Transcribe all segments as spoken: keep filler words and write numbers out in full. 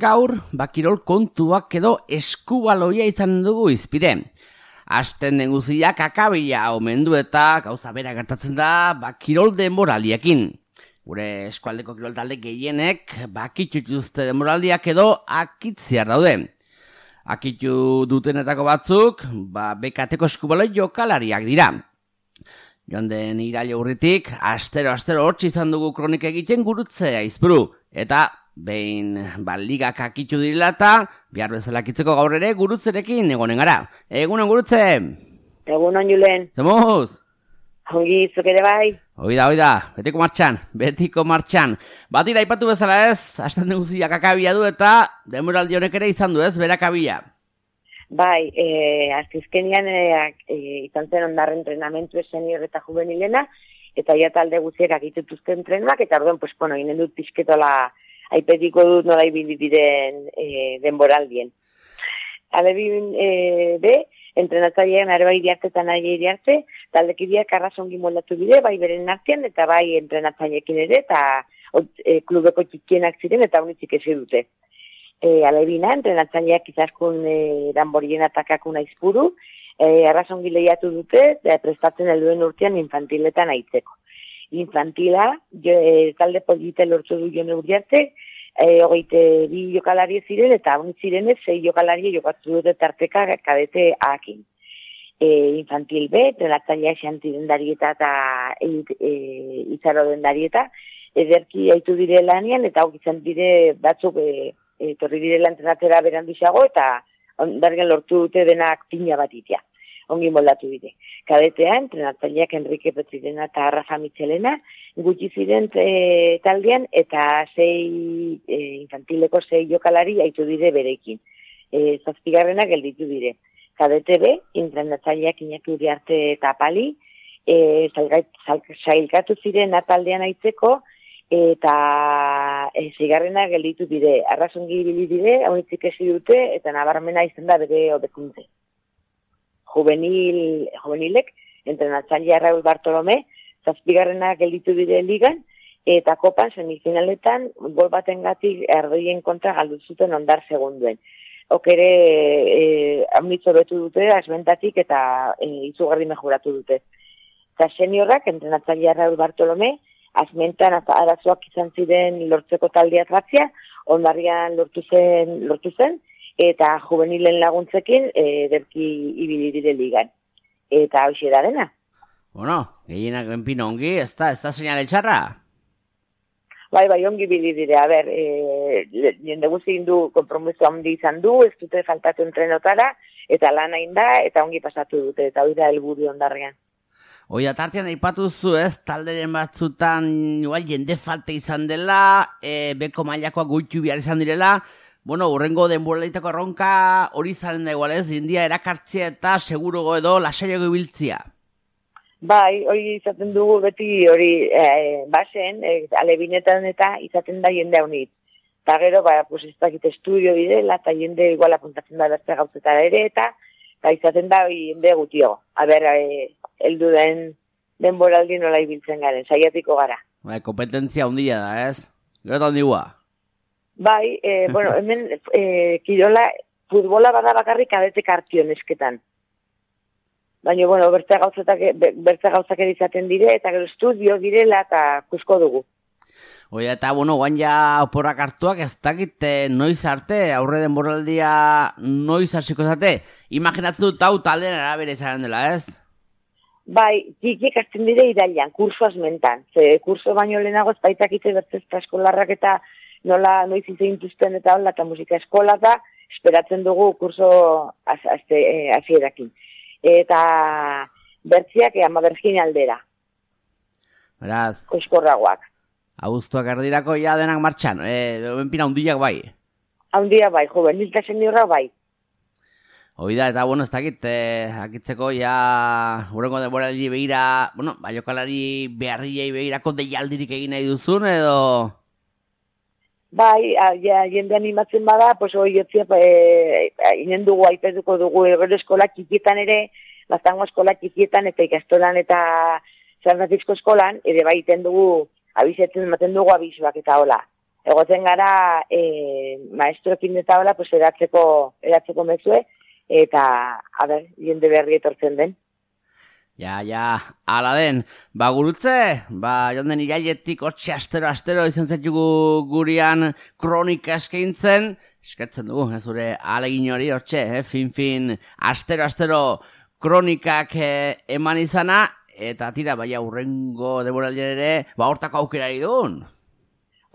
Gaur, bakirol kontuak edo eskubaloia izan dugu izpide. Asten den guziak akabila omendu eta gauza bera gertatzen da bakirol denboraldiekin. Gure eskualdeko kirol talde gehienek bakitutuzte denboraldiak edo akitziar daude. Akitu dutenetako batzuk, ba, bekateko eskubaloi jokalariak dira. Joan den iraile urritik, astero-astero hortzi izan dugu kronik egiten gurutzea izburu. Eta behin ba, ligak akitu direla eta behar bezala akitzeko gaur ere gurutzerekin egonen gara. Egunon gurutze! Egunon Julen. Zemuz! Ongi izuk ere bai? Oida, oida, betiko martxan, betiko martxan. Batira aipatu bezala ez, hasten guziak akabia du eta denboraldi honek ere izan du ez, berakabia. Bai, e, azizkenian e, e, izan zen ondarren entrenamentu senior eta juvenilena, eta ja talde guziek akitutuzten trenak, eta orduan, pues, bueno, inen dut pizketola aipetiko dut nola ibili diren e, denboraldien. Alebin e, be, entrenatzailean areba iriarte eta nahi iriarte, taldekideak arrazongi moldatu bide, bai beren artean, eta bai entrenatzaileekin ere, eta e, klubeko txikienak ziren, eta unitzik ezi dute. E, alebina, entrenatzaileak izaskun e, danborien atakakun aizpuru, e, arrazongi lehiatu dute, e, prestatzen helduen urtean infantiletan aitzeko. Infantila, jo, e, talde polite lortu du jone uriarte, e, hogeite bi jokalari ziren, eta unit zirenez, sei jokalari jokatu dute tarteka kadete akin. E, infantil B, entrenatzaileak xanti dendarieta eta e, e, izaro dendarieta, ederki haitu dire lanian, eta hau izan dire batzuk e, etorri direla entrenatera beranduxago, eta ondargen lortu dute denak pina bat itea. Ongi moldatu dire. Kadetea, entrenatzaileak Enrique Petrirena eta Rafa Michelena, gutxi ziren e, taldean, eta sei e, infantileko sei jokalari haitu dire berekin. E, zazpigarrena gelditu dire. Kadete B, entrenatzaileak Iñaki Uriarte eta Pali, e, zailkatu ziren ataldean aitzeko, eta e, zigarrena gelditu dire, arrazongi ibili dire, haunitzik ezi dute, eta nabarmena izan da bere hobekuntze. Juvenil, juvenilek, entrenatzailea Raúl Bartolomé, zazpigarrena gelditu dire ligan, eta kopan semifinaletan gol batengatik erdoien kontra galdu zuten ondar segunduen. Okere, e, haunitzo betu dute, asbentatik eta e, izugarri mejoratu dute. Eta seniorrak, entrenatzailea Raúl Bartolomé, azmentan arazoak izan ziren lortzeko taldea tratzia, ondarrian lortu zen, lortu zen, eta juvenilen laguntzekin e, derki ibili dire ligan. Eta hoxe da dena. Bueno, gehienak enpino ongi, ez da, ez da seinale txarra? Bai, bai, ongi ibili dire, a ber, e, jende guzti du konpromiso handi izan du, ez dute faltatu entrenotara, eta lan hain da, eta ongi pasatu dute, eta hori da helburu ondarrian. Oia, tartean aipatu zu ez, talderen batzutan igual, jende falte izan dela, e, beko mailakoak goitu behar izan direla, bueno, urrengo denboralditako erronka hori zaren da igual ez, india erakartzea eta segurugo edo lasaiago ibiltzia. Bai, hori izaten dugu beti hori e, basen, e, alebinetan eta izaten da jende haunit. Eta gero, ba, pues ez dakit estudio direla, eta jende igual apuntatzen da beste gauzetara ere, eta eta izaten da jende gutio. A ber, e, heldu den denboraldi nola ibiltzen garen, saiatiko gara. Bai, kompetentzia handia da, ez? Gero eta handigua. Bai, e, bueno, hemen e, kirola, futbola bada bakarrik kadetek hartion esketan. Baina, bueno, bertze gauzak, bertze gauzak izaten dire, eta gero estudio direla, eta kusko dugu. Oia, eta, bueno, guan ja oporrak hartuak ez dakit noiz arte, aurre denboraldia noiz hasiko zate. Imaginatzen dut hau taldean arabera izan dela, ez? Bai, txikiek hasten dire irailan, kurso azmentan. Ze kurso baino lehenago ez baitakite bertzezta eskolarrak eta nola noiz izintuzten eta hola, eta musika eskola da, esperatzen dugu kurso hasierakin. Eta bertziak ama bergin aldera. Beraz. Koizkorragoak. Abuztuak erdirako ja denak martxan, e, benpina hundiak bai. Hundia bai, juvenil eta seniorra bai. Oida, eta, bueno, ez dakit, eh, akitzeko ja urrengo denboraldi behira, bueno, baiokalari beharriei behirako deialdirik egin nahi duzun, edo? Bai, a, ja, jende animatzen bada, pues hoi jotzia, e, inen dugu, aipetuko dugu, gero eskola txikietan ere, baztango eskola txikietan, eta ikastolan eta San Francisco eskolan, ere baiten dugu, abizetzen ematen dugu abizuak eta hola. egoten gara e, maestroekin eta hola, pues eratzeko, eratzeko mezue, eta, a ber, jende berri etortzen den. Ja, ja, ala den, ba gurutze, ba jonden irailetik hortxe astero-astero izan zaitugu gurian kronika eskaintzen, eskertzen dugu, ez zure alegin hori hortxe, eh? fin-fin, astero-astero kronikak eh, eman izana, eta tira, baina urrengo denboraldian ere, ba hortako aukerari dugun.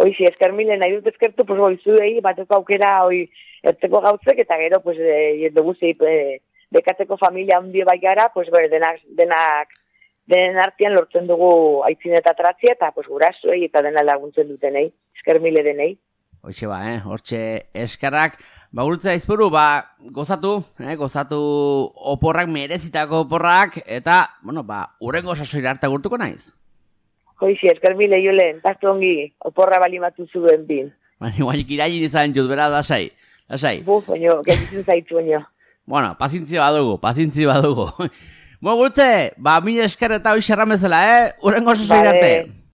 Hoizi, esker mile, nahi dut eskertu, pues hoi zuei, bateko aukera, hoi, ertzeko gauzek, eta gero, pues, e, jende guzei, e, bekatzeko familia handi bai gara, pues, bere, denak, denak, denen artean lortzen dugu aitzin eta tratzia, eta, pues, gurasoei eta dena laguntzen dutenei, esker mile denei. Hoxe ba, eh, hortxe eskerrak, ba, gurutze aizpuru, ba, gozatu, eh, gozatu oporrak, merezitako oporrak, eta, bueno, ba, urrengo sasoira arte gurtuko naiz. Hoizi, esker mile, jolen, pastu ongi, oporra balimatu zuen bin. Baina, guanik irailin izan jut, bera, lasai, lasai. Buf, baino, gaititzen zaitu, baino. Bueno, pazientzia badugu, pazientzia badugu. Bueno, gurutze, ba, mila esker eta hoi xerramezela, eh? Urrengo sasoira arte.